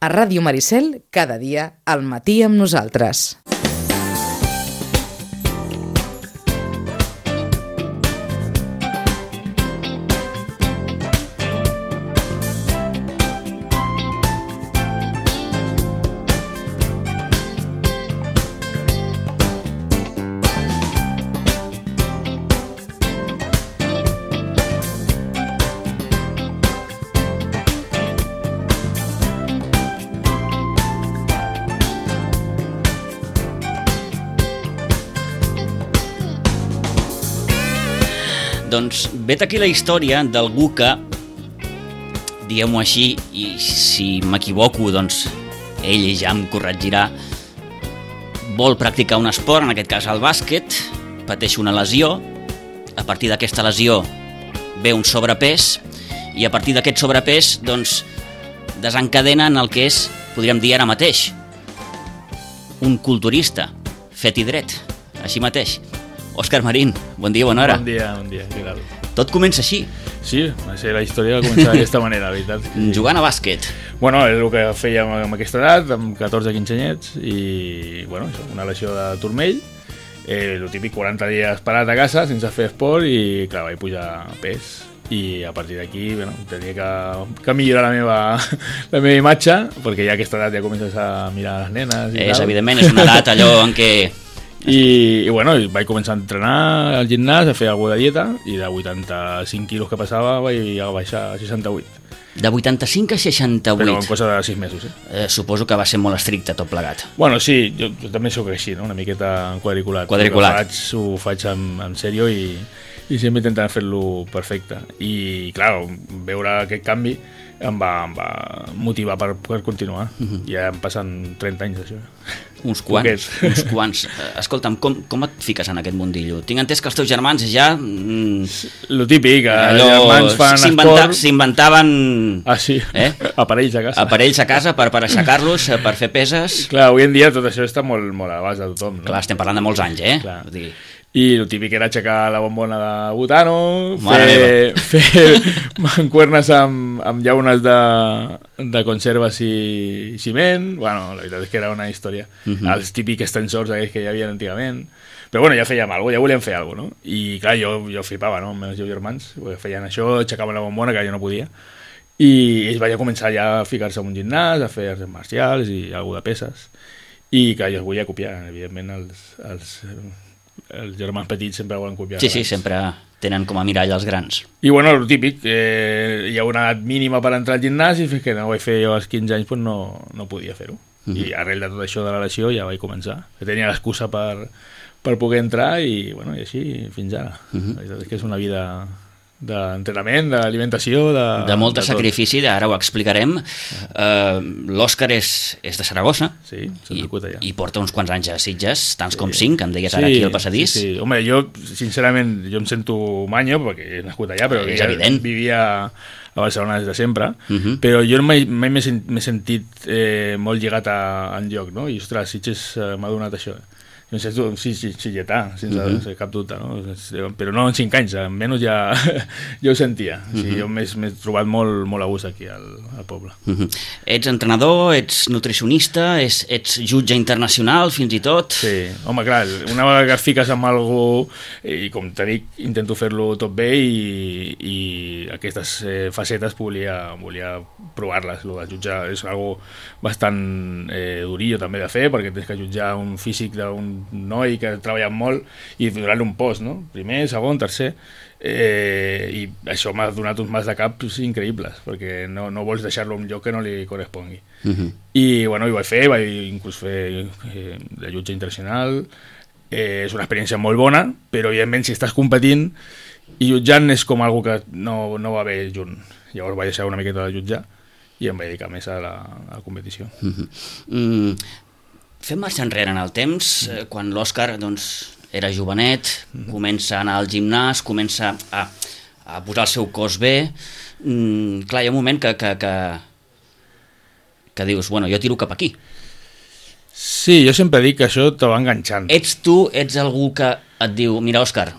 A Ràdio Maricel, cada dia, al matí amb nosaltres. Doncs vet aquí la història d'algú que, diguem-ho així, i si m'equivoco, doncs ell ja em corregirà, vol practicar un esport, en aquest cas el bàsquet, pateix una lesió, a partir d'aquesta lesió ve un sobrepès, i a partir d'aquest sobrepès, doncs, desencadena en el que és, podríem dir ara mateix, un culturista, fet i dret, així mateix. Òscar Marín, bon dia, bona hora. Bon dia, què tal? Tot comença així. Sí, va ser la història va començar d'aquesta manera, la veritat. Jugant a bàsquet. Bueno, és el que fèiem amb aquesta edat, amb 14-15 anyets, i bueno, una lesió de turmell, el típic 40 dies parat a casa sense fer esport i clar, vaig pujar pes. I a partir d'aquí, bueno, tenia que millorar la meva imatge, perquè ja a aquesta edat ja comences a mirar les nenes i tal. Evidentment, és una edat allò en què... I bueno, vaig començar a entrenar al gimnàs, a fer alguna de dieta, i de 85 quilos que passava vaig baixar a 68. De 85 a 68. Però en cosa de 6 mesos, suposo que va ser molt estricte tot plegat. Bueno, sí, jo també sóc així, no? Una miqueta quadriculat. Ho faig en sèrio i sempre intentant fer-lo perfecte. I, clar, veure aquest canvi em va motivar per continuar. Ja em passen 30 anys d'això. Uns quants. Escolta'm, com et fiques en aquest mundillo? Tinc entès que els teus germans ja... Lo típic, els germans fan esport... S'inventaven... Ah, sí, aparells a casa. Aparells a casa per aixecar-los, per fer peses... Clar, avui en dia tot això està molt a l'abast de tothom, no? Clar, estem parlant de molts anys, Clar. I el típic era aixecar la bombona de butano, fer mancuernes amb llaunes de conserves i ciment. Bueno, la veritat és que era una història. Els típics extensors aquells que hi havia antigament. Però bueno, ja fèiem alguna cosa, ja volíem fer alguna cosa, no? I clar, jo flipava, no? Amb els meus germans, feien això, aixecaven la bombona, que jo no podia. I ells vaig començar ja a ficar-se en un gimnàs, a fer arts marcials i alguna de peces. I clar, jo els volia copiar, evidentment, els germans petits sempre volen copiar. Sí, sempre tenen com a mirall els grans. I bueno, el típic, hi ha una edat mínima per entrar al gimnàs i fins que no ho vaig fer jo als 15 anys pues no podia fer-ho. I arrel de tot això de la lesió ja vaig començar. Tenia l'excusa per poder entrar i, bueno, i així fins ara. La veritat és que és una vida d'entrenament, d'alimentació, de molt sacrifici, ara ho explicarem. L'Òscar és de Saragossa, sí, i porta uns quants anys a Sitges, tants com 5, em deies ara aquí al passadís. Sí. Home, jo, sincerament, jo em sento manyo, perquè he nascut allà, però és evident. Vivia a Barcelona des de sempre, però jo mai m'he sentit molt lligat a enlloc, no? I, ostres, Sitges m'ha donat això. No sé, sí, lletà, sense cap dubte, no? Però no en 5 anys, almenys ja ho sentia. Jo m'he trobat molt a gust aquí al poble. Ets entrenador, ets nutricionista, ets jutge internacional, fins i tot. Sí, home, clar, una vegada que et fiques amb algú, i com te dic, intento fer-lo tot bé i aquestes facetes volia provar-les. El de jutjar és algo bastant durillo també de fer, perquè tens que jutjar un físic d'un noi que ha treballat molt i donar-li un post, no? Primer, segon, tercer, i això m'ha donat uns mals de cap increïbles, perquè no vols deixar-lo en un lloc que no li correspongui. I bueno, ho vaig fer, vaig inclús fer de jutge internacional. És una experiència molt bona, però evidentment si estàs competint i jutjant és com algo que no va bé junt. Llavors vaig deixar una miqueta de jutjar i em vaig dedicar més a la competició. Fem marxa enrere en el temps, quan l'Òscar era jovenet, comença a anar al gimnàs, comença a posar el seu cos bé. Clar, hi ha un moment que dius, bueno, jo tiro cap aquí. Sí, jo sempre dic que això te va enganxant. Ets algú que et diu, mira, Òscar,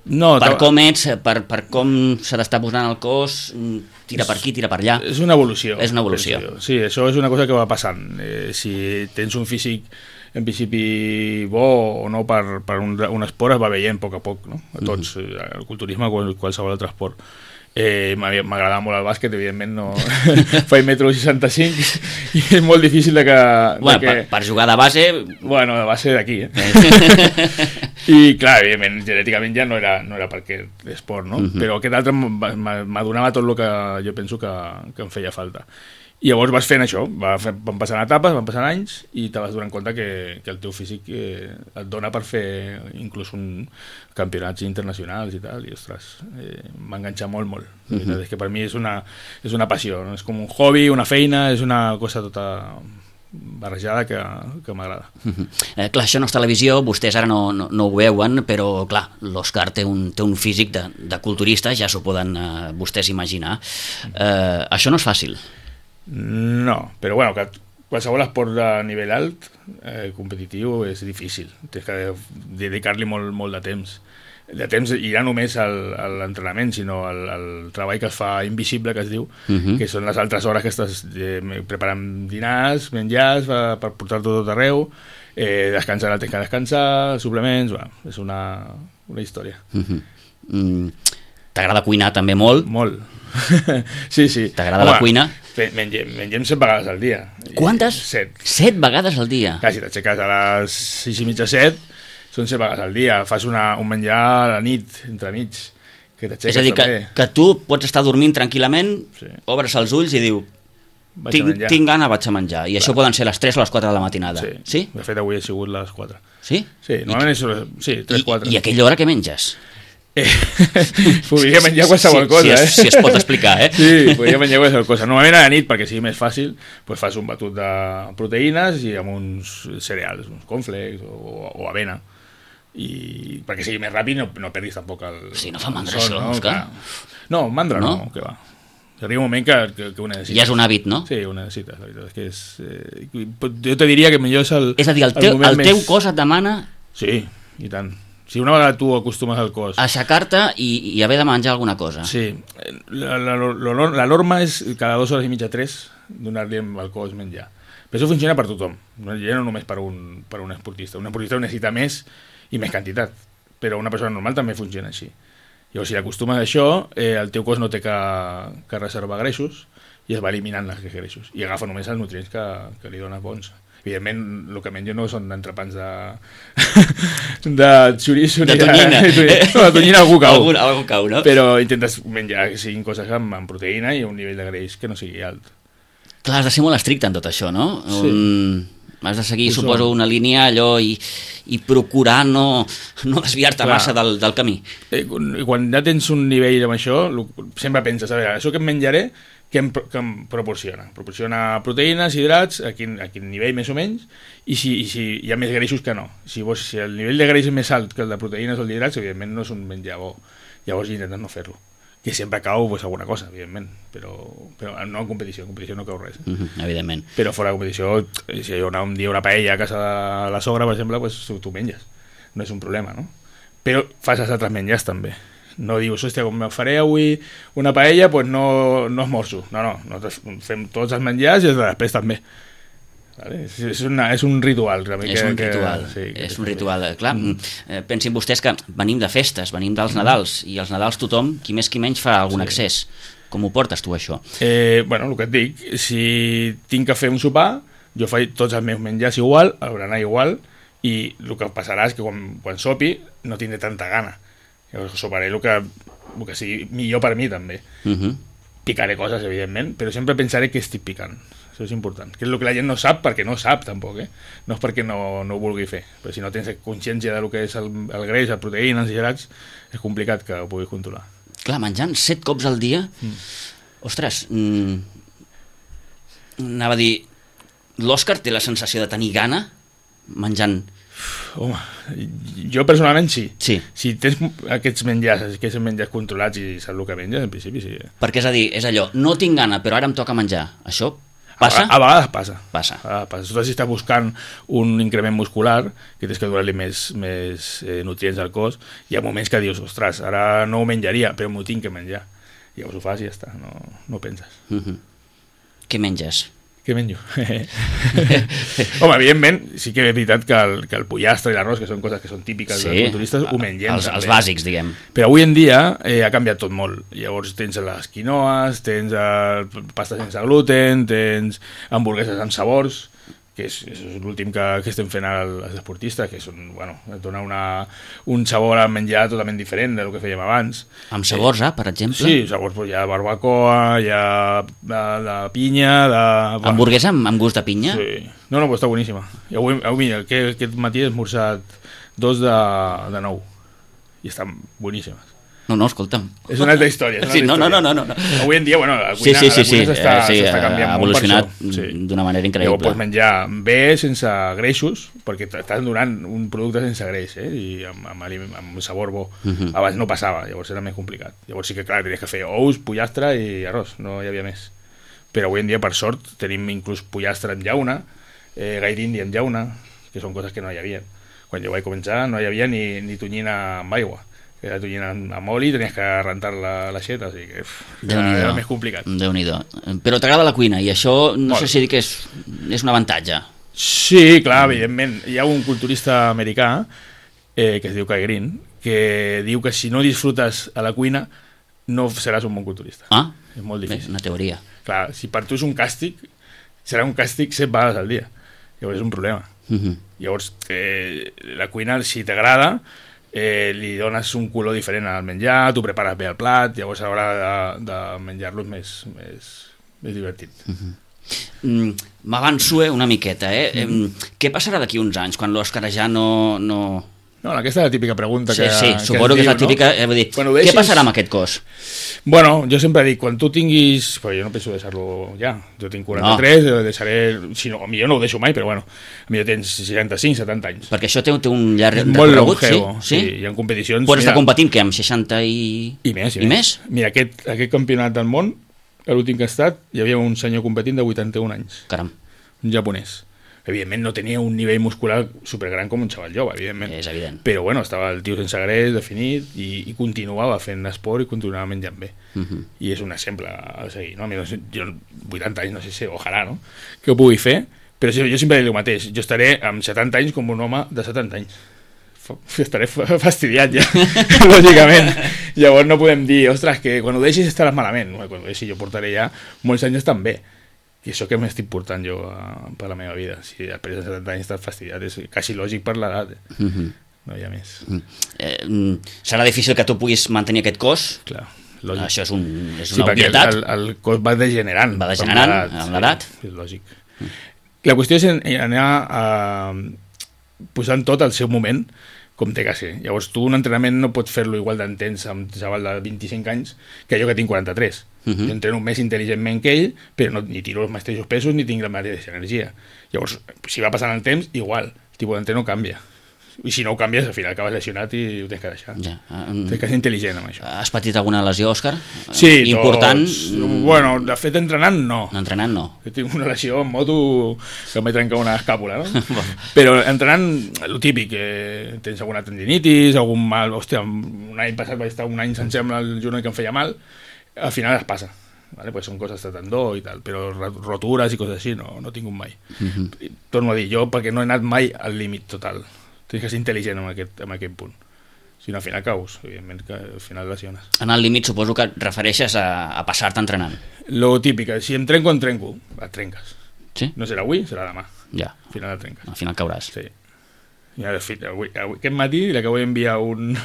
No, per com ets, per com se t'està posant el cos, tira per aquí, tira per allà. És una evolució. És una evolució. Sí, això és una cosa que va passant. Si tens un físic en principi bo o no per un esport, es va veient a poc a poc, no? A tots, el culturisme o qualsevol altre esport. M'agradava molt el bàsquet, evidentment no faig 1,65 m i és molt difícil de que... Per jugar de base... Bueno, de base d'aquí, I clar, evidentment, genèticament ja no era per aquest esport, no? Però aquest altre m'adonava tot el que jo penso que em feia falta. I llavors vas fent això, van passant etapes, van passant anys i te vas donant compte que el teu físic et dona per fer inclús campionats internacionals i tal, i ostres, m'ha enganxat molt. És que per mi és una passió, no? És com un hobby, una feina, és una cosa tota barrejada que m'agrada. Clar, això no és televisió, vostès ara no ho veuen, però clar, l'Òscar té un físic de culturista, ja s'ho poden vostès imaginar. Això no és fàcil. No, però bueno, que qualsevol esport de nivell alt, competitiu, és difícil. Tens que dedicar-li molt de temps. De temps, i no només a l'entrenament, sinó al treball que es fa invisible, que es diu, que són les altres hores que estàs preparant dinars, menjars, per portar-te tot arreu, descansar el temps que descansar, suplements, és una història. T'agrada cuinar també molt? Molt. Sí. T'agrada la cuina? Mengem 7 vegades al dia. Quantes? 7. 7 vegades al dia? Clar, si t'aixeques a les 6:30, 7, són 7 vegades al dia. Fas un menjar a la nit, entremig, que t'aixeques. És a dir, que tu pots estar dormint tranquil·lament, obres els ulls i diu tinc gana, vaig a menjar. I això poden ser les 3 o les 4 de la matinada. Sí? De fet, avui ha sigut les 4. Sí? Sí, normalment és 3-4. I a aquella hora què menges? Podria menjar qualsevol cosa, si es pot explicar, Sí, podria menjar qualsevol cosa. Normalment a la nit, perquè sigui més fàcil, doncs fas un batut de proteïnes i amb uns cereals, uns cornflakes o avena, i perquè sigui més ràpid no perdis tampoc el... Sí, no fa mandra això, Òscar? No, mandra no, que va. Arriba un moment que ho necessites. Ja és un hàbit, no? Sí, ho necessites, la veritat. Jo te diria que millor és el... És a dir, el teu cos et demana... Sí, i tant. Si una vegada tu acostumes al cos... Aixecar-te i haver de menjar alguna cosa. Sí. La norma és cada 2 hores i mitja, 3, donar-li al cos menjar. Però això funciona per tothom. Ja no només per un esportista. Un esportista ho necessita més i més quantitat. Però una persona normal també funciona així. Llavors, si acostumes a això, el teu cos no té que reservar greixos i es va eliminant els greixos. I agafa només els nutrients que li dones bons. Evidentment, el que menjo no són entrepans de xoriço de tonyina. De tonyina algú cau, no? Però intentes menjar que siguin coses amb proteïna i un nivell de greix que no sigui alt. Clar, has de ser molt estricte en tot això, no? Sí. Has de seguir, suposo, una línia allò i procurar no desviar-te massa del camí. Quan ja tens un nivell amb això, sempre penses, a veure, això que em menjaré, que em proporciona proteïnes, hidrats, a quin nivell més o menys, i si hi ha més greixos que no. Si el nivell de greix és més alt que el de proteïnes o d'hidrats, evidentment no és un menjar bo. Llavors intentes no fer-lo. Que sempre cau alguna cosa, evidentment, però no en competició no cau res. Evidentment. Però fora de competició, si hi ha un dia una paella a casa de la sogra, per exemple, pues, tu menges. No és un problema, no? Però fas els altres menjars també. No dius, hòstia, com me faré avui una paella, doncs no esmorzo. No, fem tots els menjars i els de després també. Vale? És un ritual. És un ritual. Clar, pensin vostès que venim de festes, venim dels Nadals, i els Nadals tothom, qui més qui menys, fa algun excés. Com ho portes tu, això? Bueno, el que et dic, si tinc que fer un sopar, jo faig tots els meus menjars igual, el berenar igual, i el que passarà és que quan sopi no tindré tanta gana. Llavors soparé el que sigui millor per mi també. Picaré coses, evidentment, però sempre pensaré que estic picant. Això és important, que és el que la gent no sap, perquè no sap tampoc, no és perquè no ho vulgui fer, però si no tens consciència del que és el greix, les proteïnes i hidrats, és complicat que ho puguis controlar. Clar, menjant 7 cops al dia, ostres, anava a dir, l'Òscar té la sensació de tenir gana menjant... Home, jo personalment sí. Si tens aquests menjars controlats i saps el que menges, en principi sí. Perquè és a dir, és allò, no tinc gana, però ara em toca menjar. Això Passa? A vegades passa. Passa. Sobretot si estàs buscant un increment muscular, que tens que donar-li més nutrients al cos, hi ha moments que dius, ostres, ara no ho menjaria, però m'ho tinc que menjar. Llavors ho fas i ja està, no penses. Què menges? Què menjo? Home, evidentment, sí que és veritat que el pollastre i l'arròs, que són coses que són típiques dels culturistes, ho mengem. Els bàsics, diguem. Però avui en dia ha canviat tot molt. Llavors tens les quinoas, tens pasta sense gluten, tens hamburgueses amb sabors, que és l'últim que estem fent als esportistes, que són, bueno, et dona un sabor al menjar totalment diferent del que fèiem abans. Amb sabors, per exemple? Sí, sabors, hi ha barbacoa, hi ha de pinya, Hamburguesa amb gust de pinya? Sí. No, però està boníssima. I avui mira, aquest matí he esmorzat 2 de 9 i estan boníssimes. No, escolta'm. És una altra història. Sí, no. Avui en dia, bueno, la cuina s'està canviant ha evolucionat d'una manera increïble. Llavors pots menjar bé sense greixos, perquè t'estan donant un producte sense greix, i amb sabor bo. Abans no passava, llavors era més complicat. Llavors sí que, clar, tenies que fer ous, pollastre i arròs, no hi havia més. Però avui en dia, per sort, tenim inclús pollastre amb llauna, gaire indi amb llauna, que són coses que no hi havia. Quan jo vaig començar no hi havia ni tonyina amb aigua. Que la tonyina amb oli, tenies que rentar la xeta, o sigui que era més complicat. Déu-n'hi-do. Però t'agrada la cuina, i això no sé si dir que és un avantatge. Sí, clar, evidentment. Hi ha un culturista americà, que es diu Kai Greene, que diu que si no disfrutes a la cuina no seràs un bon culturista. És molt difícil. Una teoria. Clar, si per tu és un càstig, serà un càstig 7 vegades al dia. Llavors és un problema. Llavors, la cuina, si t'agrada, li dones un color diferent al menjar, tu prepares bé el plat, llavors a l'hora de menjar-lo és més divertit. M'avanço una miqueta. Què passarà d'aquí uns anys, quan l'Òscar ja no... No, aquesta és la típica pregunta que suposo que és la típica, vull dir, què passarà amb aquest cos? Bueno, jo sempre dic, quan tu tinguis... Però jo no penso deixar-lo ja, jo tinc 43, deixaré... Si no, millor no ho deixo mai, però bueno, millor tens 65, 70 anys. Perquè això té un llarg recorregut, sí? Hi ha competicions... Pots estar competint, què, amb 60 i més? Mira, aquest campionat del món, l'últim que ha estat, hi havia un senyor competint de 81 anys. Caram. Un japonès. Evidentment no tenia un nivell muscular supergran com un xaval jove, evidentment. És evident. Però bueno, estava el tio sense greix, definit, i continuava fent esport i continuava menjant bé. I és un exemple a seguir, no? Jo 80 anys, no sé si, ojalà, no? Que ho pugui fer, però jo sempre dic el mateix, jo estaré amb 70 anys com un home de 70 anys. Estaré fastidiat ja, lògicament. Llavors no podem dir, ostres, que quan ho deixis estaràs malament. Quan ho deixi jo portaré ja molts anys estan bé. I això que m'estic portant jo per la meva vida. Si després de 70 anys estàs fastidiat, és quasi lògic per l'edat. No hi ha més. Serà difícil que tu puguis mantenir aquest cos? Clar, lògic. Això és una obvietat. El cos va degenerant. Va degenerant amb l'edat. Sí, és lògic. La qüestió és anar posant tot al seu moment, com té que ser. Llavors tu un entrenament no pots fer-lo igual d'entens amb un xaval de 25 anys que jo que tinc 43. Jo entreno més intel·ligentment que ell, però ni tiro els mateixos pesos ni tinc la mateixa energia. Llavors, si va passant el temps, igual, el tipus d'entreno canvia. I si no ho canvies, al final acabes lesionat i ho tens que deixar. Tens que ser intel·ligent amb això. Has patit alguna lesió, Òscar? Sí, important? Bueno, de fet, entrenant no. Entrenant no. Jo tinc una lesió en moto que em vaig trencar una escàpula, no? Però entrenant, el típic, tens alguna tendinitis, algun mal... Hòstia, un any passat vaig estar un any sencer amb el genoll que em feia mal, al final es passa. Vale? Pues són coses de tendó i tal, però rotures i coses així no tinc un mai. Torno a dir, jo perquè no he anat mai al límit total. Tens que ser intel·ligent en aquest punt. Si no, al final caus, evidentment que al final lesiones. En el límit suposo que et refereixes a passar-te entrenant. Lo típic, si em trenco, et trenques. Sí? No serà avui, serà demà. Ja. Al final et trenques. Al final cauràs. Sí. Ja, de fet, aquest matí li acabo d'enviar un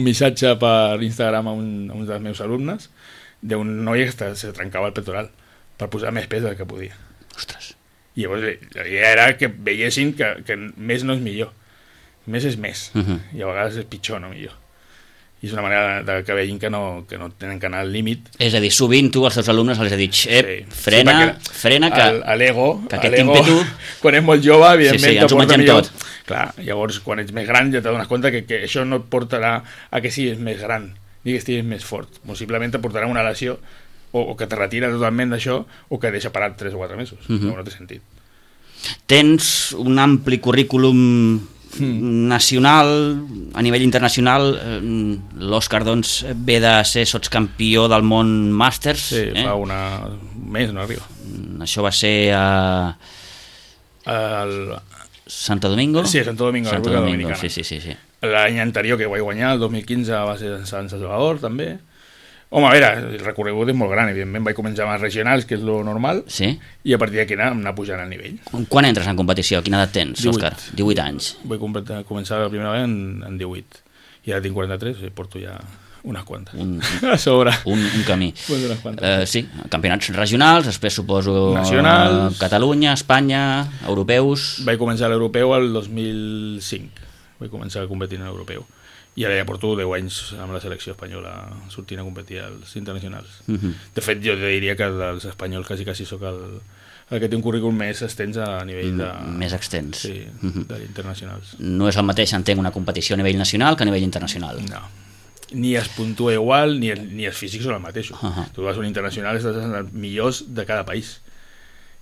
missatge per Instagram a un dels meus alumnes d'un noi que se trencava el pectoral per posar més pes del que podia. Ostres. I llavors la idea era que veiessin que més no és millor. Més és més. I a vegades és pitjor, no millor. I és una manera que vegin que no tenen que anar al límit. És a dir, sovint tu als teus alumnes els has dit frena, que l'ego, que aquest ímpetu... Quan és molt jove, evidentment, ens ho mengem tot. Clar, llavors, quan ets més gran ja t'adones compte que això no et portarà a que siguis més gran, ni que estiguis més fort. Possiblement et portarà una lesió o que te retira totalment d'això o que deixa parat 3 o 4 mesos. No té sentit. Tens un ampli currículum nacional, a nivell internacional. L'Òscar, doncs, ve de ser sotscampió del món Màsters. Sí, fa un mes, no arriba. Això va ser a Santo Domingo? Sí, a Santo Domingo, Santo República Domingo, Dominicana. sí. L'any anterior que vaig guanyar, el 2015, va ser a Sant Salvador, també. Home, a veure, el recorregut és molt gran, evidentment. Vaig començar amb els regionals, que és lo normal, Sí? i a partir d'aquí anar pujant el nivell. Quan entres en competició? Quina edat tens, 18. Òscar? 18 anys. Vaig començar la primera vegada en 18. I ara tinc 43, i porto ja unes quantes. A sobre. Un camí. Pues unes quantes. Sí, campionats regionals, després suposo Nacionals. Catalunya, Espanya, europeus... Vaig començar l'europeu el 2005. Vaig començar a competir en l'europeu. I ara ja porto 10 anys amb la selecció espanyola sortint a competir als internacionals. De fet, jo diria que dels espanyols quasi sóc el que té un currículum més extens a nivell de... Més extens. Sí, d'internacionals. No és el mateix, entenc, una competició a nivell nacional que a nivell internacional. No. Ni es puntua igual, ni els físics són els mateixos. Tu vas a un internacional i estàs en els millors de cada país.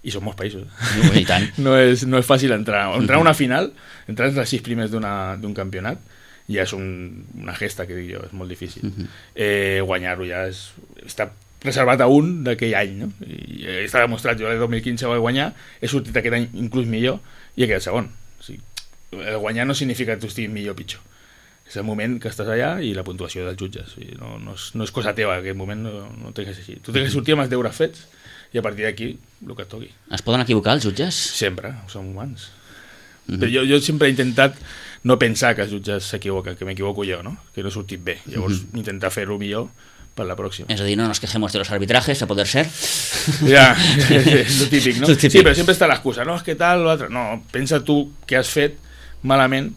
I són molts països. I tant. No és fàcil entrar. Entrar a una final, entrar entre els 6 primers d'un campionat, ja és una gesta, que dic jo, és molt difícil. Guanyar-ho ja està reservat a un d'aquell any, no? I està demostrat. Jo el 2015 vaig guanyar, he sortit aquest any inclús millor i he quedat segon. O sigui, el guanyar no significa que tu estiguis millor o pitjor. És el moment que estàs allà i la puntuació dels jutges. O sigui, no és cosa teva, en aquest moment no té que ser així. Tu tens que sortir amb els deures fets i a partir d'aquí el que et toqui. Es poden equivocar els jutges? Sempre, som humans. Però jo sempre he intentat no pensar que els jutges s'equivoquen, que m'equivoco jo, no? Que no he sortit bé. Llavors intentar fer-ho millor per la pròxima. És a dir, no nos quejemos de los arbitrajes, a poder ser. Ja, és lo típic, no? Sí, però sempre està l'excusa, no, és que tal, l'altre. No, pensa tu què has fet malament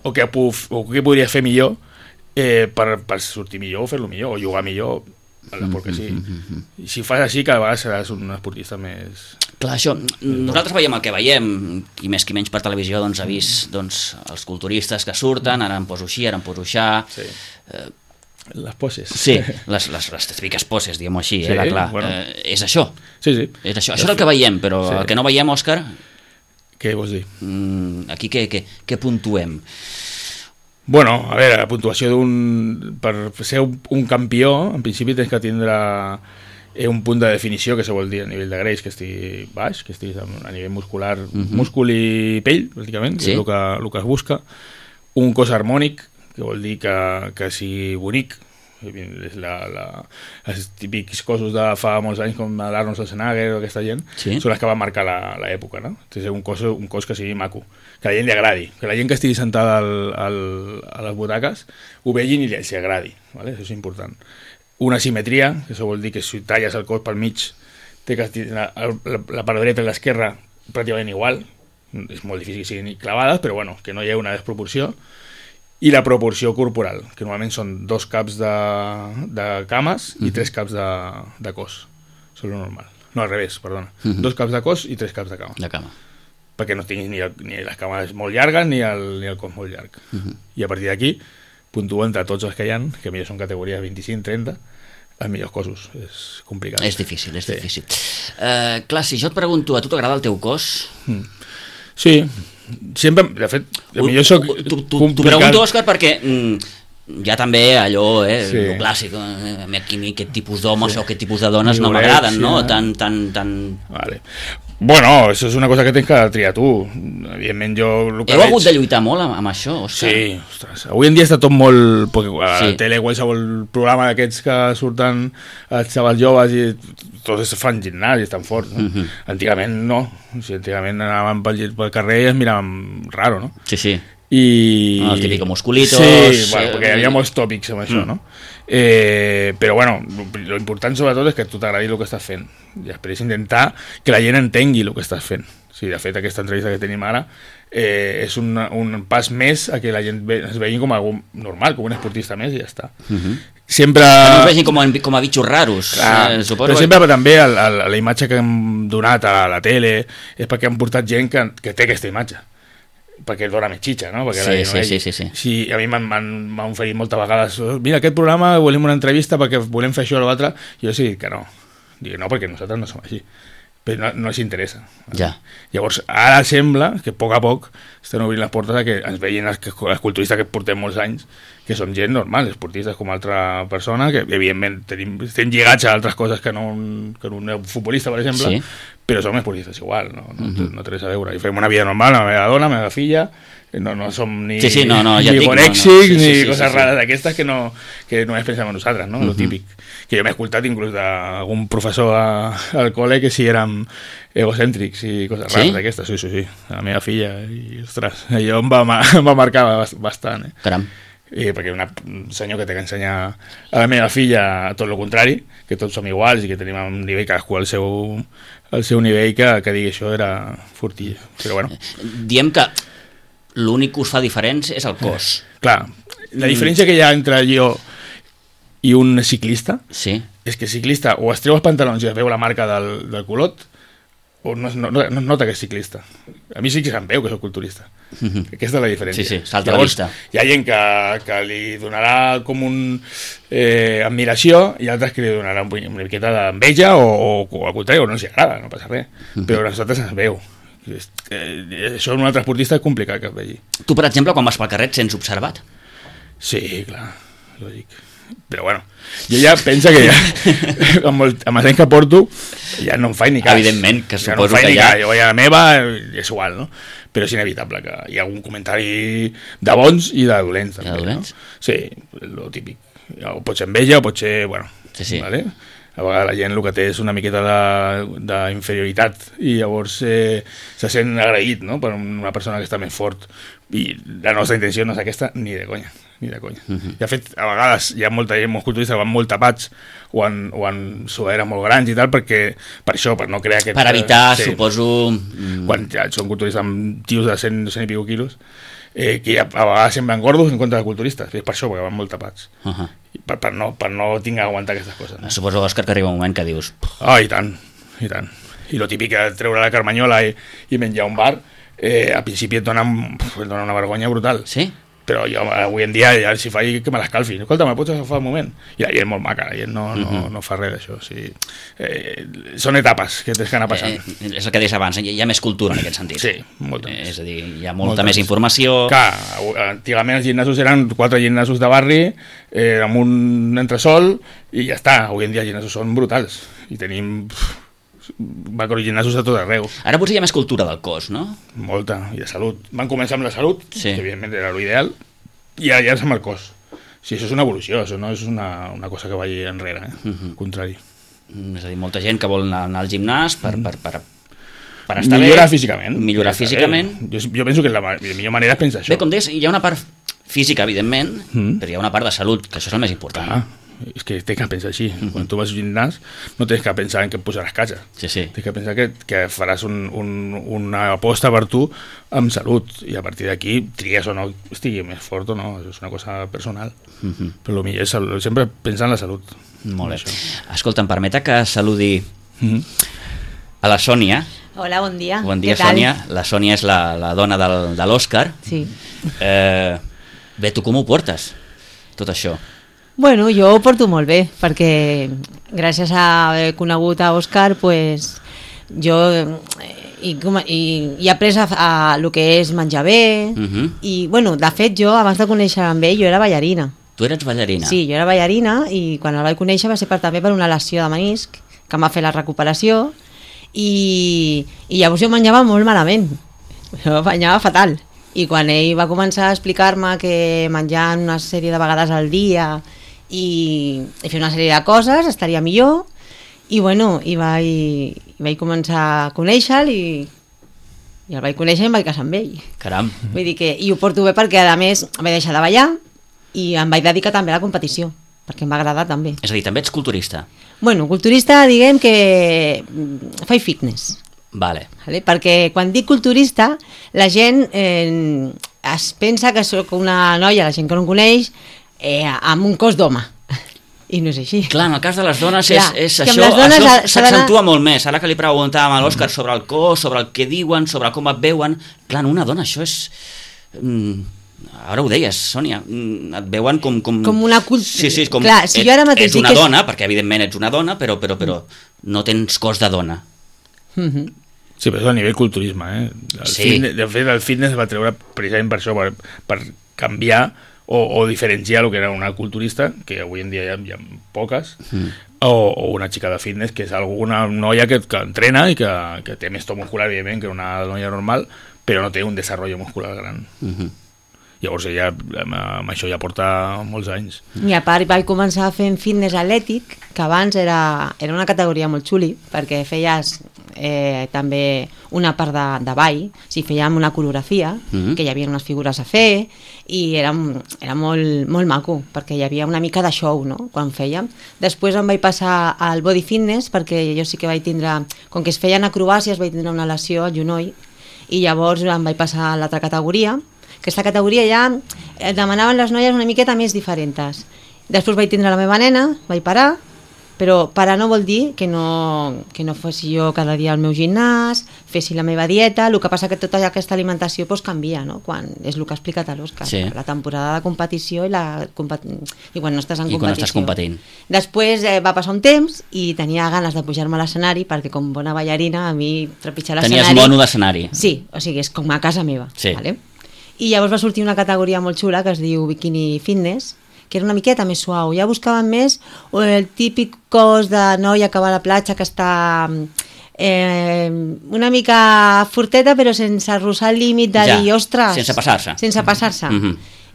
o què podries fer millor per sortir millor o fer-lo millor, o jugar millor a l'esport que sí. I si fas així, cada vegada seràs un esportista més... Clar, això, nosaltres veiem el que veiem, i més que menys per televisió doncs ha vist els culturistes que surten, ara em poso així, ara em poso així... Sí. Les poses. Sí, les típiques poses, diguem-ho així, sí, clar. Bueno. És això. Sí. És això és el que veiem, però el que no veiem, Òscar... Què vols dir? Aquí què puntuem? Bueno, a veure, la puntuació per ser un campió, en principi tens que tindre un punt de definició, que se vol dir a nivell de greix, que estigui baix, que estiguis a nivell muscular, múscul i pell, pràcticament, que és el que es busca. Un cos harmònic, que vol dir que sigui bonic. Els típics cossos de fa molts anys, com l'Arnold Schwarzenegger o aquesta gent, són els que van marcar l'època, no? Un cos que sigui maco, que a la gent li agradi, que la gent que estigui sentada a les butaques ho vegin i els agradi, ¿vale? Això és important. Una simetria, que això vol dir que si talles el cos pel mig, té que la part dreta i l'esquerra pràcticament igual, és molt difícil que siguin clavades, però bueno, que no hi ha una desproporció. I la proporció corporal, que normalment són 2 caps de cames i 3 caps de cos. Això és el normal. No, al revés, perdona. 2 caps de cos i 3 caps de cama. Perquè no tinguis ni les cames molt llargues ni el cos molt llarg. I a partir d'aquí, puntuen entre tots els que hi ha, que millor són categories 25-30, els millors cossos. És complicat. És difícil. Clar, si jo et pregunto, a tu t'agrada el teu cos? Sí, sempre, de fet, millor soc t'ho pregunto, Òscar, perquè hi ha també allò, el clàssic, aquest tipus d'homes o aquest tipus de dones no m'agraden, no? Tan... Vale. Bueno, això és una cosa que tens que triar tu. Evidentment, jo... Heu hagut de lluitar molt amb això, Òscar? Sí, ostres. Avui en dia està tot molt... Perquè a la tele, qualsevol programa d'aquests que surten els xavals joves i tots fan gimnàs i estan forts, no? Antigament no. O sigui, antigament anàvem pel carrer i es miraven raro, no? Sí. I... El típic musculitos... Sí, bueno, perquè hi havia molts tòpics amb això, no? Però bueno, lo important sobretot és que tu t'agradi el que estàs fent i després intentar que la gent entengui el que estàs fent. Sí, de fet, aquesta entrevista que tenim ara és un pas més a que la gent es vegi com algú normal, com un esportista més i ja està. Sempre... Que no es vegin com a bitxos raros. Però sempre també la imatge que hem donat a la tele és perquè han portat gent que té aquesta imatge. perquè dona més xitxa, no? Perquè Sí. A mi m'han oferit moltes vegades, mira, aquest programa volem una entrevista perquè volem fer això o l'altre, i jo sí, que no. Dic, no, perquè nosaltres no som així. Però no els interessa. Ja. Llavors, ara sembla que a poc estan obrint les portes a que ens vegin els culturistes que portem molts anys, que són gent normal, esportistes com altra persona, que evidentment estem lligats a altres coses que no un futbolista, per exemple, Sí. però som esportistes igual, no té res a veure. I fem una vida normal, la meva dona, la meva filla, no som ni, ja ni dic, conèxics, ni sí, coses rares d'aquestes que només pensem en nosaltres, no? Lo típic. Que jo m'he escoltat inclús d'algun professor al col·le que sí érem egocèntrics i coses rares d'aquestes, sí. La meva filla, i ostres, allò em va marcar bastant, Caram. Perquè un senyor que té que ensenyar a la meva filla tot el contrari, que tots som iguals i que tenim un nivell, cadascú al seu nivell, que digui això era fortilla, però bueno. Diem que l'únic que us fa diferents és el cos. Clar, la diferència que hi ha entre jo i un ciclista és que el ciclista o es treu els pantalons i es veu la marca del culot o no es nota que és ciclista. A mi sí que se'm veu que soc culturista. Aquesta és la diferència. Sí, salta la vista. Hi ha gent que li donarà com admiració i altres que li donarà una miqueta d'enveja o al contrari, o no els agrada, no passa res. Però a nosaltres ens veu. Això en un altre esportista és complicat que es vegi. Tu, per exemple, quan vas pel carrer et sents observat? Sí, clar, lògic. Però bueno, jo ja penso que amb els anys que porto ja no em faig ni cas. Evidentment, que ja no suposo que ja... Jo vaig a la meva, és igual, no? Però és inevitable que hi ha algun comentari de bons i de dolents. De dolents? No? Sí, lo típic. O pot ser enveja o pot ser... Bueno, sí. Vale? A vegades la gent el que té és una miqueta d'inferioritat i llavors se sent agraït, no? Per una persona que està més fort, i la nostra intenció no és aquesta ni de conya. De fet, a vegades hi ha molta gent, molts culturistes que van molt tapats o en sudaderes molt grans i tal, per això, per no crear aquest... Per evitar, suposo... Quan ja són culturistes amb tios de 100 i pico quilos, que a vegades semblen gordos en contra de culturistes, és per això, perquè van molt tapats. Per no tinc que aguantar aquestes coses. No? Suposo, Òscar, que arriba un moment que dius... I tant. I lo típic que treure la carmanyola i menjar un bar, al principi et dona una vergonya brutal. Sí? Però jo avui en dia ja si faig que me l'escalfi. Escolta, me pots agafar un moment? I la gent molt maca, la gent no fa res d'això. O sigui, són etapes que tens que anar passant. És el que deies abans, hi ha més cultura en aquest sentit. Sí, molta més. És a dir, hi ha molta més informació... Clar, antigament els gimnasos eren 4 gimnasos de barri, amb un entresol, i ja està. Avui en dia els gimnasos són brutals. I tenim... macrogimnasos a tot arreu. Ara potser hi ha més cultura del cos, no? Molta, i de salut. Van començar amb la salut, que evidentment era l'ideal, i ara és amb el cos. Sí, això és una evolució, això no és una cosa que vagi enrere, al contrari. És a dir, molta gent que vol anar al gimnàs per estar millorar bé. físicament. Millorar físicament. Jo penso que la millor manera és pensar això. Bé, com deies, hi ha una part física, evidentment, però hi ha una part de salut, que això és el més important. És que tens que pensar així. Quan tu vas al gimnàs no tens que pensar en que et posaràs catxa. Sí. Tens que pensar que faràs una aposta per tu amb salut, i a partir d'aquí tries o no estigui més fort o no, això és una cosa personal. Però el millor és sempre pensar en la salut. Molt bé. Escolta, em permeta que saludi a la Sònia. Hola, bon dia. Bon dia, Sònia. La Sònia és la dona de l'Òscar. Sí. Bé, tu com ho portes, tot això? Bueno, jo ho porto molt bé, perquè gràcies a haver conegut a Òscar, pues, jo he après a el que és menjar bé, i bueno, de fet jo abans de conèixer amb ell jo era ballarina. Tu eres ballarina? Sí, jo era ballarina, i quan el vaig conèixer va ser també per una lesió de menisc que em va fer la recuperació, i llavors jo menjava molt malament, jo menjava fatal, i quan ell va començar a explicar-me que menjant una sèrie de vegades al dia i fer una sèrie de coses estaria millor, i bueno, i vaig començar a conèixer-lo, i el vaig conèixer i em vaig casar amb ell. Caram. Vull dir que, i ho porto bé perquè a més vaig deixar de ballar i em vaig dedicar també a la competició, perquè em va agradar també. És a dir, també ets culturista? Bueno, culturista diguem que faig fitness. Vale. Perquè quan dic culturista la gent es pensa que soc una noia, la gent que no em coneix, amb un cos d'home. I no és així. Clar, en el cas de les dones Clar, és que amb això, les dones això s'ha d'anar- s'accentua molt més. Ara que li preguntàvem a l'Òscar sobre el cos, sobre el que diuen, sobre com et veuen, clar, en una dona això és... Ara ho deies, Sònia, et veuen com una cult... Sí, com Clar, si jo ara mateix ets una dic que és- dona, perquè evidentment ets una dona, però no tens cos de dona. Sí, però és a nivell culturisme, Sí. De fet, el fitness va treure precisament per això, per canviar o diferenciar el que era una culturista, que avui en dia hi ha poques, o una xica de fitness, que és una noia que entrena i que té més to muscular, evidentment, que una noia normal, però no té un desenvolupament muscular gran. Llavors ella amb això ja porta molts anys. I a part vaig començar fent fitness atlètic, que abans era una categoria molt xuli, perquè feies també una part de ball, o sigui, fèiem una coreografia, que hi havia unes figures a fer, i era molt, molt maco, perquè hi havia una mica de show, no?, quan fèiem. Després em vaig passar al body fitness, perquè jo sí que vaig tindre, com que es feien acrobàcies, vaig tindre una lesió al genoll, i llavors em vaig passar a l'altra categoria. Aquesta categoria ja demanaven les noies una miqueta més diferents. Després vaig tindre la meva nena, vaig parar, però parar no vol dir que no fossi jo cada dia al meu gimnàs, fessi la meva dieta. El que passa que tota aquesta alimentació pues, canvia, no? Quan és el que ha explicat a l'Òscar, Sí. la temporada de competició i quan no estàs en I competició. quan estàs competint. Després va passar un temps i tenia ganes de pujar-me a l'escenari, perquè com bona ballarina a mi trepitjar l'escenari... Tenies mono d'escenari. Sí, o sigui, és com a casa meva. Sí. Vale? I llavors va sortir una categoria molt xula que es diu Bikini Fitness, que era una miqueta més suau. Ja buscaven més el típic cos de noia que va a la platja, que està una mica forteta, però sense arrossar el límit de dir, ostres... Sense passar-se. Sense passar-se.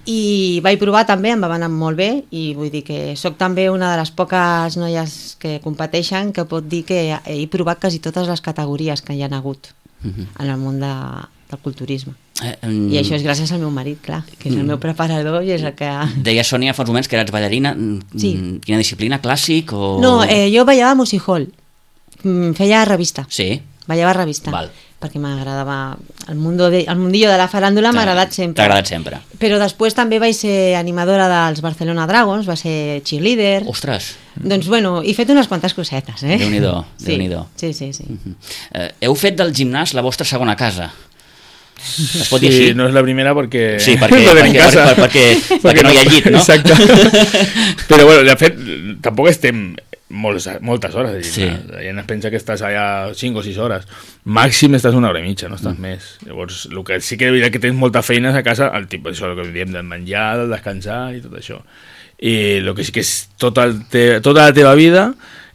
I vaig provar també, em va anar molt bé, i vull dir que sóc també una de les poques noies que competeixen que pot dir que he provat quasi totes les categories que hi ha hagut en el món del culturisme. I això és gràcies al meu marit, clar, que és el meu preparador i és el que... Deia Sònia fa uns moments que eres ballarina. Sí. Quina disciplina? Clàssic o...? No, jo ballava a music hall, feia revista, Sí. ballava revista, Val. perquè m'agradava el mundillo de la faràndula, m'ha agradat sempre. T'ha agradat sempre. Però després també vaig ser animadora dels Barcelona Dragons, va ser cheerleader. Ostres, Doncs bueno, he fet unes quantes cosetes, Déu-n'hi-do, Sí, Déu-n'hi-do. sí. Heu fet del gimnàs la vostra segona casa. Es pot dir Sí, així? no és la primera perquè... Sí, perquè no hi ha llit, no? Exacte. Però bueno, de fet, tampoc estem moltes hores de gimnàs. Sí. La gent es pensa que estàs allà 5 o 6 hores. Màxim estàs una hora i mitja, no estàs més. Llavors, el que sí que és que tens moltes feines a casa, el tipus, això el que diem del menjar, del descansar i tot això. I el que sí que és tota la teva vida,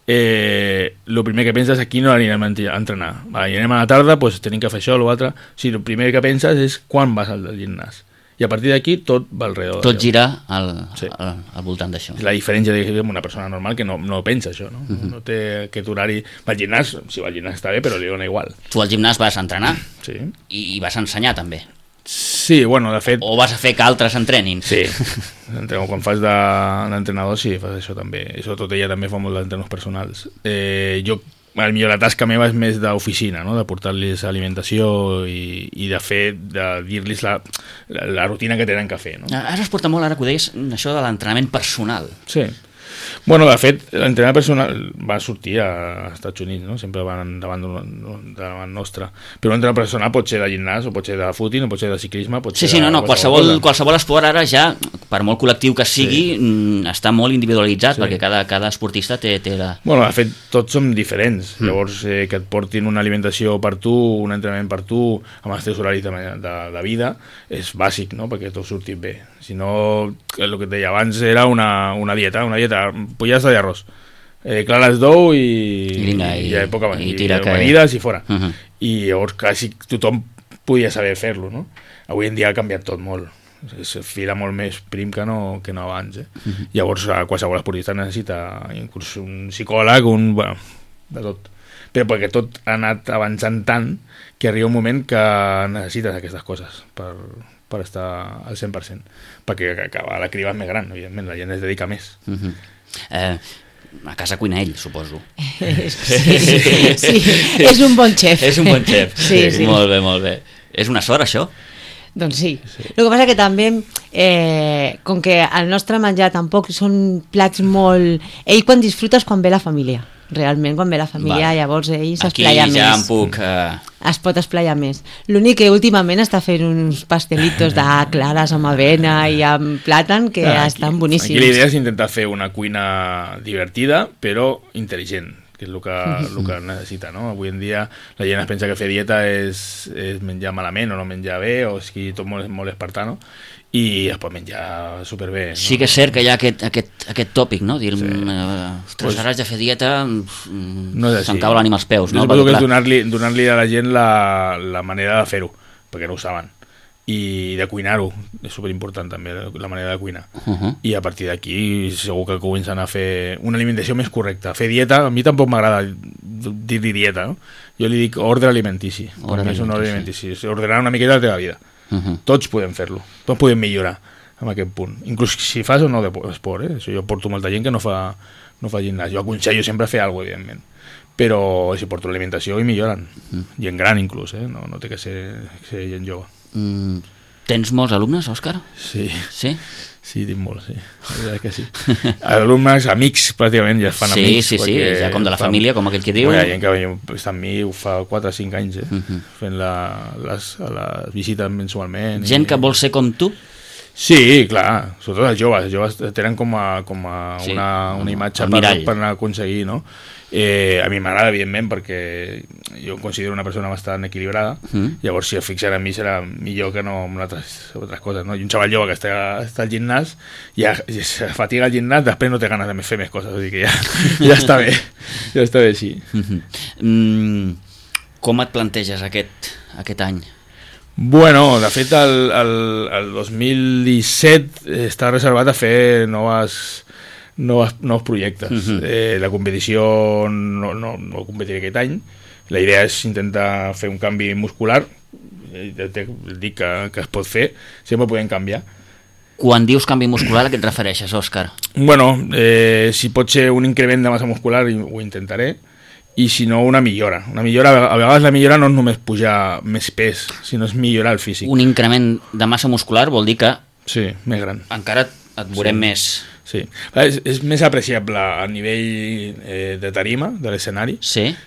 el primer que penses, aquí no anirem a entrenar. Vale, anem a la tarda, pues, tenim que fer això o l'altre. O sigui, el primer que penses és quan vas al gimnàs. I a partir d'aquí tot va alrededor. Tot gira Sí. al voltant d'això. És la diferència amb una persona normal que no pensa això, no? No té aquest horari. Va al gimnàs, si va al gimnàs està bé, però li dona igual. Tu al gimnàs vas a entrenar Sí. i vas a ensenyar també. Sí, bueno, de fet... O vas a fer que altres entrenin. Sí, quan fas d'entrenador sí, fas això també. I sobretot ella també fa molt d'entrenos personals. Jo, potser la tasca meva és més d'oficina, no? De portar-los alimentació i de fer, de dir-los la rutina que tenen que fer, no? Ara es porta molt, ara que ho deies, això de l'entrenament personal. Sí. Bueno, de fet, l'entrenament personal va sortir als Estats Units, no? Sempre van davant nostre. Però l'entrenament personal pot ser de gimnàs, o pot ser de footing, o pot ser de ciclisme, pot ser Sí, no, qualsevol esport ara ja, per molt col·lectiu que sigui, està molt individualitzat, perquè cada esportista té la... Bueno, de fet, tots som diferents. Llavors, que et portin una alimentació per tu, un entrenament per tu, amb els teus horaris de vida, és bàsic, no?, perquè tot surti bé. Si no, el que et deia abans era una dieta, pollastre i arròs. Clares d'ou i tira amanides i fora. I llavors quasi tothom podia saber fer-lo, no? Avui en dia ha canviat tot molt. Es fila molt més prim que no abans. Llavors qualsevol esportista necessita inclús un psicòleg, bueno, de tot. Però perquè tot ha anat avançant tant que arriba un moment que necessites aquestes coses per estar al 100%, perquè la criba és més gran, evidentment, la gent es dedica més. A casa cuina ell, suposo. Sí, és un bon xef. És un bon xef. Sí. Molt bé. És una sort, això? Doncs sí. El que passa que també, com que el nostre menjar tampoc són plats molt... Ell quan disfrutes quan ve la família. Realment, quan ve la família, llavors ell s'esplaia més. Aquí ja em puc... Es pot esplaiar més. L'únic que últimament està fent uns pastelitos de clares amb avena i amb plàtan que estan boníssims. Aquí la idea és intentar fer una cuina divertida, però intel·ligent, que és el que necessita, no? Avui en dia la gent es pensa que fer dieta és menjar malament o no menjar bé, o és que tot molt espartano, i es pot menjar superbé, no? Sí que és cert que hi ha aquest tòpic, no? Dir, ostres, ara haig de fer dieta, se'n cau l'ànima als peus, no? Suposo que és donar-li a la gent la manera de fer-ho, perquè no ho saben, i de cuinar-ho, és superimportant també la manera de cuinar, i a partir d'aquí segur que comencen a fer una alimentació més correcta. Fer dieta, a mi tampoc m'agrada dir-li dieta, no? Jo li dic ordre alimentici, és un ordre alimentici, és ordenar una miqueta la teva vida. Tots podem fer-lo, tots podem millorar en aquest punt, inclús si fas o no d'esport, Això jo porto molta gent que no fa gimnàs, jo aconsello sempre fer alguna cosa, evidentment, però si porto l'alimentació i milloren, gent gran inclús, no té que ser gent jove. Tens molts alumnes, Òscar? Sí, tinc molts, sí, la veritat que sí. Alumnes, amics, pràcticament, ja es fan amics. Sí, ja com de la família, com aquell que diu. Hi ha gent que està amb mi, ho fa 4 o 5 anys, fent les visites mensualment. Gent que vol ser com tu? Sí, clar, sobretot els joves tenen com a una imatge per anar a aconseguir, no? A mi m'agrada, evidentment, perquè jo em considero una persona bastant equilibrada, llavors si es fixen en mi serà millor que no en altres coses, no? I un xaval jove que està al gimnàs, ja se fatiga al gimnàs, després no té ganes de fer més coses, o sigui que ja està bé, sí. Com et planteges aquest any? Bueno, de fet el 2017 està reservat a fer nous projectes. La competició no competiré aquest any. La idea és intentar fer un canvi muscular. Dic que es pot fer, sempre podem canviar. Quan dius canvi muscular, a què et refereixes, Òscar? Bueno, si pot ser un increment de massa muscular ho intentaré, i si no una millora. A vegades la millora no és només pujar més pes, sinó és millorar el físic. Un increment de massa muscular vol dir que sí, més gran. Encara et veurem més. Sí, és més apreciable a nivell de tarima, de l'escenari,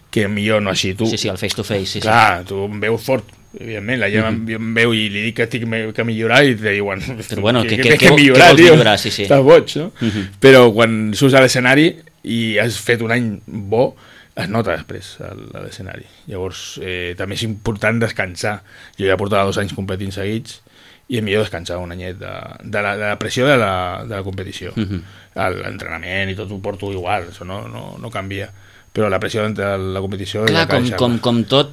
que millor no així. Sí, el face to face. Clar, tu em veus fort, evidentment, la gent em veu i li dic que tinc que millorar i te diuen però bueno, què millorar, vols millorar? Sí. Estàs boig, no? Però quan surts a l'escenari i has fet un any bo, es nota després a l'escenari. Llavors també és important descansar. Jo ja portava 2 anys competint seguits i és millor descansar un anyet de la pressió de la competició. L'entrenament i tot ho porto igual, això no canvia, però la pressió de la competició... Clar, com tot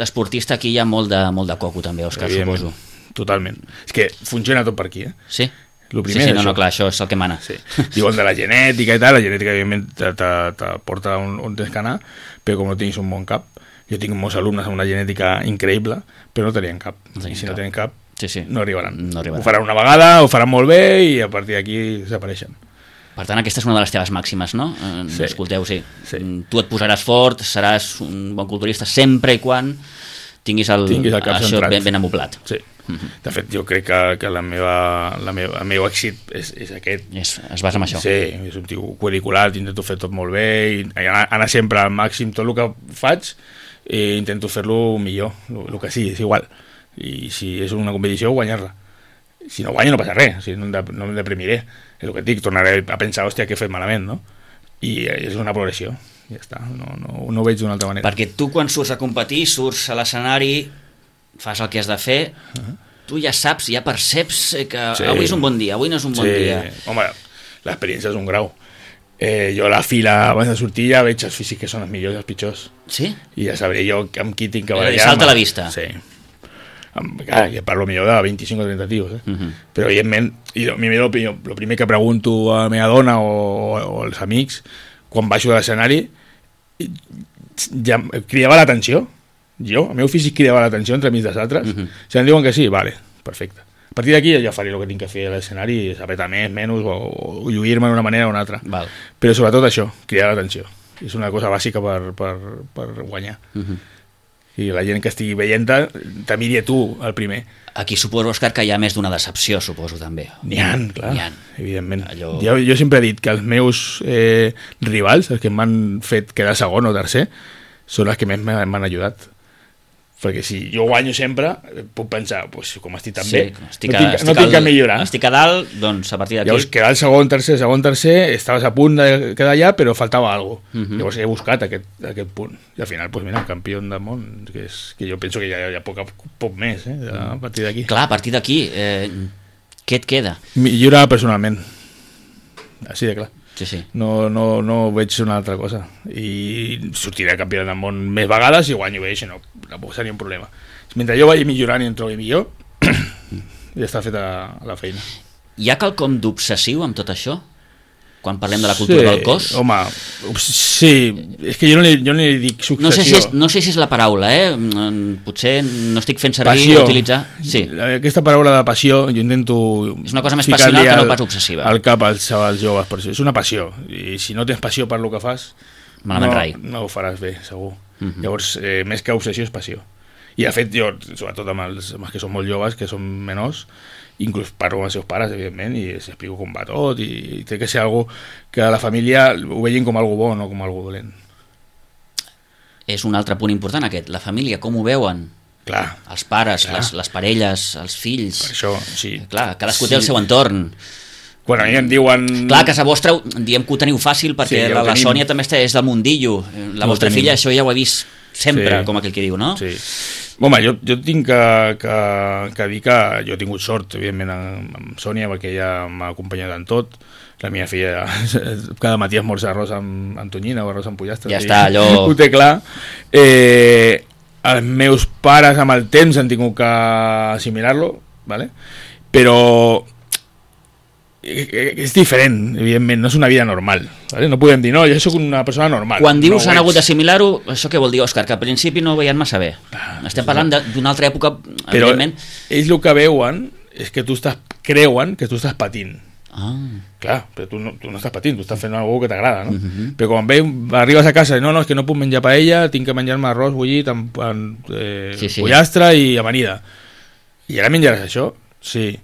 esportista, aquí hi ha molt de coco també, Òscar, suposo. Totalment. És que funciona tot per aquí, Sí? Sí, clar, això és el que mana. Sí. Diuen de la genètica i tal, la genètica evidentment te porta on tens que anar, però com no tinguis un bon cap, jo tinc molts alumnes amb una genètica increïble, però no tenien cap, i si no tenen cap no arribaran. Ho faran una vegada, ho faran molt bé i a partir d'aquí desapareixen. Per tant, aquesta és una de les teves màximes, no? Escolteu, sí. Tu et posaràs fort, seràs un bon culturista sempre i quan tinguis el cap això ben amoblat. Sí. De fet, jo crec que el meu èxit és aquest. Es basa en això. Sí, és un tio curricular, intento fer tot molt bé i anar sempre al màxim. Tot el que faig intento fer-lo millor, el que sigui, és igual. I si és una competició, guanyar-la. Si no guanyo no passa res, no em deprimiré. És el que et dic, tornaré a pensar, hòstia, què he fet malament, no? I és una progressió, ja està, no ho veig d'una altra manera. Perquè tu quan surts a competir, surts a l'escenari, fas el que has de fer, tu ja saps, ja perceps que avui és un bon dia, avui no és un bon dia. Home, l'experiència és un grau. Jo a la fila abans de sortir ja veig els físics que són els millors i els pitjors. Sí? I ja sabré jo amb qui tinc que barallar. Salta a la vista. Sí. Clar, ja parlo millor de 25 o 30 tios, però evidentment el primer que pregunto a la meva dona o als amics quan baixo de l'escenari ja cridava l'atenció. El meu físic cridava l'atenció entremig dels altres. Si em diuen que sí, vale, perfecte. A partir d'aquí ja faré el que tinc que fer a l'escenari, apretar més, menys o lluir-me d'una manera o una altra. Però sobretot això, cridar l'atenció. És una cosa bàsica per guanyar. I la gent que estigui veient-te miri a tu el primer. Aquí suposo, Òscar, que hi ha més d'una decepció, suposo, també. N'hi ha, clar, evidentment. Allò... Jo sempre he dit que els meus rivals, els que m'han fet quedar segon o tercer, són els que més m'han ajudat. Perquè si jo guanyo sempre, puc pensar, pues, com estic tan bé, no tinc que millorar. Estic a dalt, doncs a partir d'aquí... Llavors, quedar el segon, tercer, estaves a punt de quedar allà, però faltava alguna cosa. Llavors he buscat aquest punt. I al final, pues, mira, campió del món, que jo penso que hi ha poc més, a partir d'aquí. Clar, a partir d'aquí, què et queda? Millorar personalment. Així de clar. Sí. No veig una altra cosa. I sortiré campió del món més vegades i guanyo bé, no seria un problema. Mentre jo vagi millorant i em trobi millor, ja està feta la feina. Hi ha quelcom d'obsessiu amb tot això? Quan parlem de la cultura del cos? Home, sí, és que jo no li dic successió. No sé si és la paraula, potser no estic fent servir o utilitzar... Sí. Aquesta paraula de passió, jo intento... És una cosa més passional que no pas obsessiva. Al cap als joves, per això. És una passió, i si no tens passió per lo que fas, no ho faràs bé, segur. Llavors, més que obsessió és passió. I de fet, jo, sobretot amb els que són molt joves, que són menors, inclús parlo amb els seus pares, evidentment, i els explico com va tot, i té que ser algo que la família ho vegin com algo bo, no com algo dolent. És un altre punt important aquest, la família, com ho veuen? Clar. Els pares, les parelles, els fills... Per això, sí. Clar, cadascú té el seu entorn. Quan a mi em diuen... Clar, a casa vostra diem que ho teniu fàcil perquè la Sònia també és del mundillo. La vostra filla això ja ho ha vist sempre, com aquell que diu, no? Sí. Home, jo tinc que dir que jo he tingut sort, evidentment, amb Sònia, perquè ella m'ha acompanyat en tot. La meva filla cada matí esmorza arròs amb tonyina o arròs amb pollastre. Ja està, allò... Ho té clar. Els meus pares amb el temps han tingut que assimilar-lo, ¿vale? Però és diferent, evidentment, no és una vida normal, ¿vale? No podem dir, no, jo soc una persona normal. Quan dius han hagut d'assimilar-ho, això què vol dir, Òscar? Que al principi no ho veien massa bé. Estem parlant d'una altra època, però evidentment. Ells el que veuen és que creuen que tu estàs patint. Clar, però tu no estàs patint, tu estàs fent una cosa que t'agrada, no? Però quan arribes a casa i no, és que no puc menjar paella, tinc que menjar-me arròs bullit amb pollastre i amanida. I ara menjaràs això? Sí,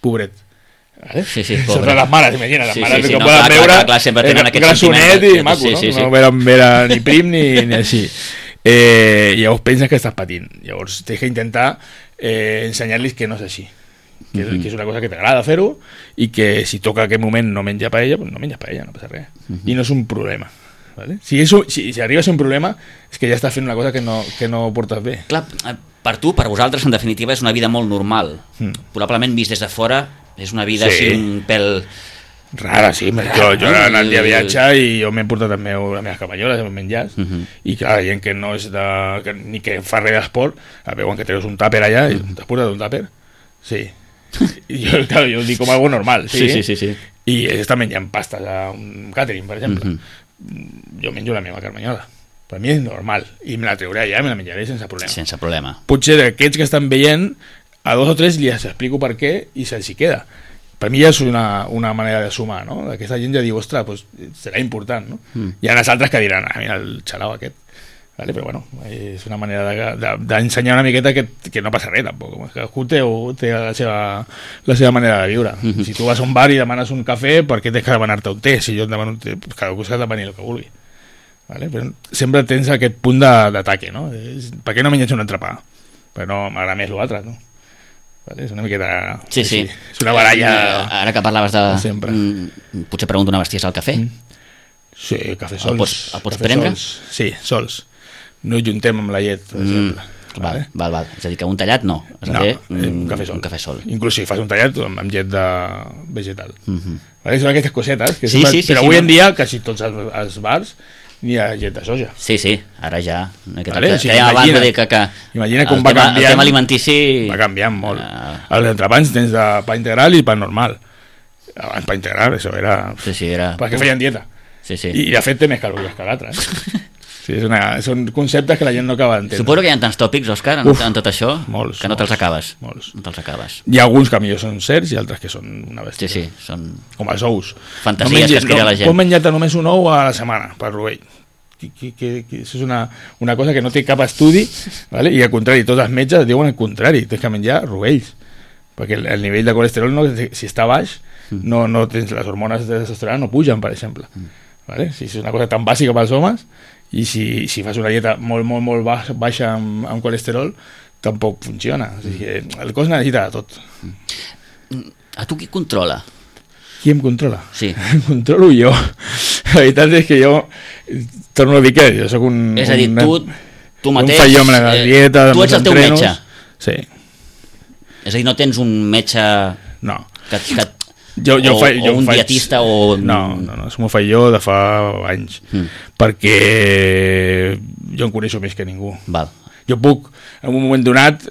pobret. Vale? Sí, sobre les mares, imagina't, les mares que poden veure sempre tenen aquest grassonet i maco, no veure ni prim ni així. Llavors penses que estàs patint, llavors tens que intentar ensenyar-los que no és així, que és una cosa que t'agrada fer-ho i que si toca aquell moment no menja paella, doncs no menges paella, no passa res, i no és un problema, vale? Si arriba a ser un problema és que ja estàs fent una cosa que no portes bé. Clar, per tu, per vosaltres, en definitiva, és una vida molt normal. Probablement vist des de fora és una vida així un pèl... Rara, sí. Jo he anat de viatge i jo m'he portat les meves camalloles, els meus menjars, i clar, la gent que no és ni que fa res d'esport, veuen que treus un tàper allà i t'has portat un tàper? Sí. Jo ho dic com algo normal, sí. I ells estan menjant pastes a un càtering, per exemple. Jo menjo la meva carmanyola. Per mi és normal, i me la treuré allà i me la menjaré sense problema. Sense problema. Potser d'aquests que estan veient, a 2 o 3 li explico per què i se'ls hi queda. Per mi ja és una manera de sumar, no? Aquesta gent ja diu, ostres, pues, serà important, no? Hi ha els altres que diran, mira el xalau aquest, vale? Però bueno, és una manera d'ensenyar una miqueta que no passa res tampoc, cadascú té la seva manera de viure. Si tu vas a un bar i demanes un cafè, per què tens que demanar-te un té? Si jo et demano un té, pues cadascú s'ha de demanar el que vulgui, vale? Però sempre tens aquest punt d'ataque, no? Per què no menges un entrepà? Perquè no m'agrada més l'altre, no? Vale? És una miqueta... Sí. És una baralla... Ara que parlaves de... Sempre. Potser pregunto una besties al cafè? Sí, cafè sols. El pots prendre? Sí, sols. No hi juntem amb la llet, per exemple. Val. És a dir, que un tallat no. Un cafè sol. Inclús si fas un tallat amb llet de vegetal. Vale? Són aquestes cosetes. Però avui en dia, quasi tots els bars ni ha llet de soja. Sí, ara ja. Vale? O sigui, imagina com va canviant. El tema alimentici... Va canviant molt. Els entrepans tens de pa integral i pa normal. Abans pa integral, això era... Sí, era... Perquè feien dieta. Sí. I de fet té més calories que l'altre. Sí, són conceptes que la gent no acaba d'entendre. Suposo que hi ha tants tòpics, Òscar, en tot això, molts, que no te'ls acabes. Molts. No te'ls acabes. Hi ha alguns que millor són certs i altres que són una bèstia. Sí, són... Com els ous. Fantasies que es crea la gent. Pots menjar-te només un ou a la setmana, per rovell. això és una cosa que no té cap estudi, ¿vale? I al contrari, tots els metges diuen el contrari, tens que menjar rovells, perquè el nivell de colesterol, si està baix, no tens, les hormones de testosterona no pugen, per exemple. ¿Vale? Si és una cosa tan bàsica pels homes, i si fas una dieta molt baixa amb colesterol, tampoc funciona. O sigui que el cos necessita de tot. A tu qui controla? Qui em controla? Sí. Em controlo jo. La veritat és que jo torno a dir que jo soc un... És a dir, tu mateix... Un fallo amb la dieta... Tu ets el teu metge. Sí. És a dir, no tens un metge... No. O un dietista o... No, això m'ho faig jo de fa anys. Perquè jo em coneixo més que ningú. Val. Jo puc, en un moment donat,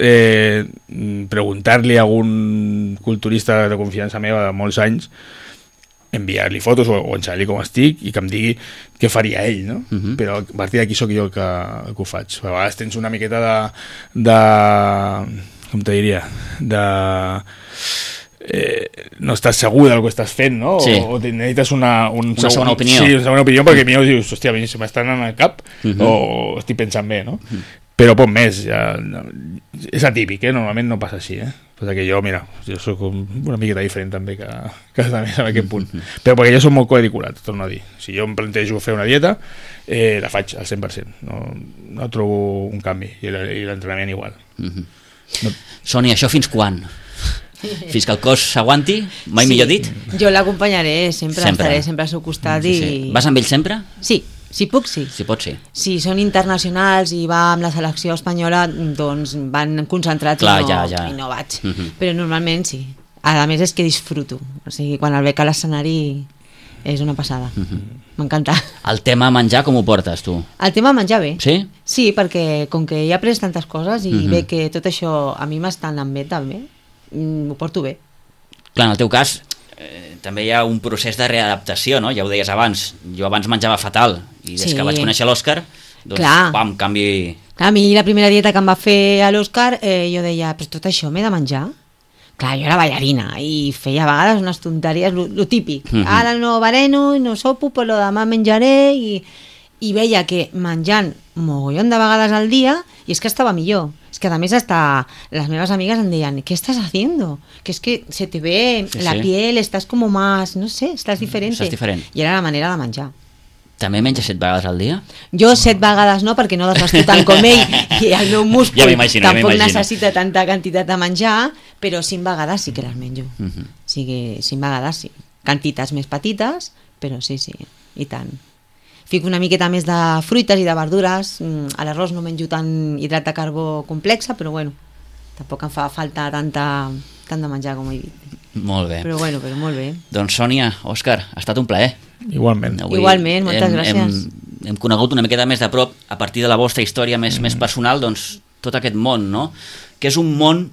preguntar-li a algun culturista de confiança meva de molts anys, enviar-li fotos o ensenyar-li com estic i que em digui què faria ell, no? Però a partir d'aquí sóc jo que ho faig. A vegades tens una miqueta de com te diria? No estàs segur del que estàs fent, no? Sí. O necessites una segona opinió. Sí, una segona opinió, perquè millor dius, hòstia, a mi se m'estan en el cap o estic pensant bé, no? Però poc més, ja, és atípic, normalment no passa així, perquè jo, mira, jo soc una miqueta diferent també que més en aquest punt, però perquè jo soc molt coediculat, torno a dir. Si jo em plantejo fer una dieta, la faig al 100%, no trobo un canvi, i l'entrenament igual. Sònia, això fins quan? Fins que el cos s'aguanti? Mai millor dit? Jo l'acompanyaré, sempre estaré sempre al seu costat. Sí. Vas amb ell sempre? Sí. Si puc, sí. Si pot, sí. Si són internacionals i va amb la selecció espanyola, doncs van concentrats i no vaig. Però normalment sí. A més és que disfruto. O sigui, quan el veig a l'escenari és una passada. M'encanta. El tema menjar com ho portes, tu? El tema menjar bé. Sí? Sí, perquè com que he après tantes coses i veig que tot això a mi m'està anant bé també, ho porto bé. Clar, en el teu cas... també hi ha un procés de readaptació, no? Ja ho deies abans, jo abans menjava fatal i des que vaig conèixer l'Òscar doncs pam, canvi... Clar, a mi la primera dieta que em va fer a l'Òscar jo deia, però tot això m'he de menjar? Clar, jo era ballarina i feia a vegades unes tonteries, lo típic. Ara no bereno, no sopo, però demà menjaré i veia que menjant mogollon de vegades al dia i és que estava millor. Es que a més hasta las meves amigues em deien, ¿qué estás haciendo? Que es que se te ve la piel, estás como más, no sé, estás diferente. Estàs diferent. I era la manera de menjar. També menges 7 vegades al dia? Jo 7 vegades no, perquè no desgasto tant com ell i el meu múscul tampoc necessita tanta quantitat de menjar, però 5 vegades sí que les menjo. O sigui, 5 vegades sí. Quantitats més petites, però sí, i tant. Fico una miqueta més de fruites i de verdures, a l'arròs no menjo tant hidrat de carbó complexa, però bueno, tampoc em fa falta tant de menjar com he dit. Molt bé. Però bueno, molt bé. Doncs Sònia, Òscar, ha estat un plaer. Igualment. Igualment, moltes gràcies. Hem conegut una miqueta més de prop, a partir de la vostra història més personal, doncs tot aquest món, no? Que és un món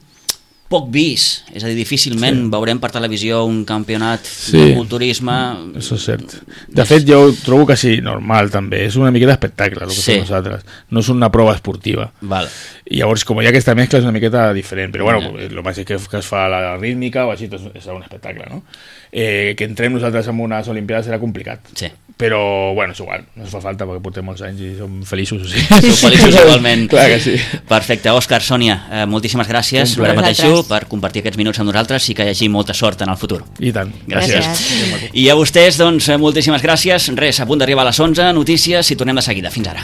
poc vist, és a dir, difícilment veurem per televisió un campionat de culturisme. Això és cert. De fet, jo ho trobo quasi normal també, és una miqueta d'espectacle el que fem nosaltres, no és una prova esportiva. Val. I llavors, com hi ha aquesta mescla, és una miqueta diferent, però bueno, el mateix que es fa la rítmica o així, és un espectacle, no? Que entrem nosaltres en unes Olimpiades serà complicat. Sí. Però, bueno, és igual, no es fa falta perquè portem molts anys i som feliços, o sigui. Som feliços igualment. Clar que sí. Perfecte, Òscar, Sònia, moltíssimes gràcies, ho repeteixo, per compartir aquests minuts amb nosaltres i que hi hagi molta sort en el futur. I tant. Gràcies. I a vostès, doncs, moltíssimes gràcies. Res, a punt d'arribar a les 11, notícies i tornem de seguida. Fins ara.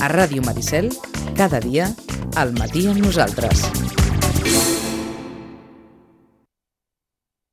A Ràdio Maricel, cada dia, al matí amb nosaltres.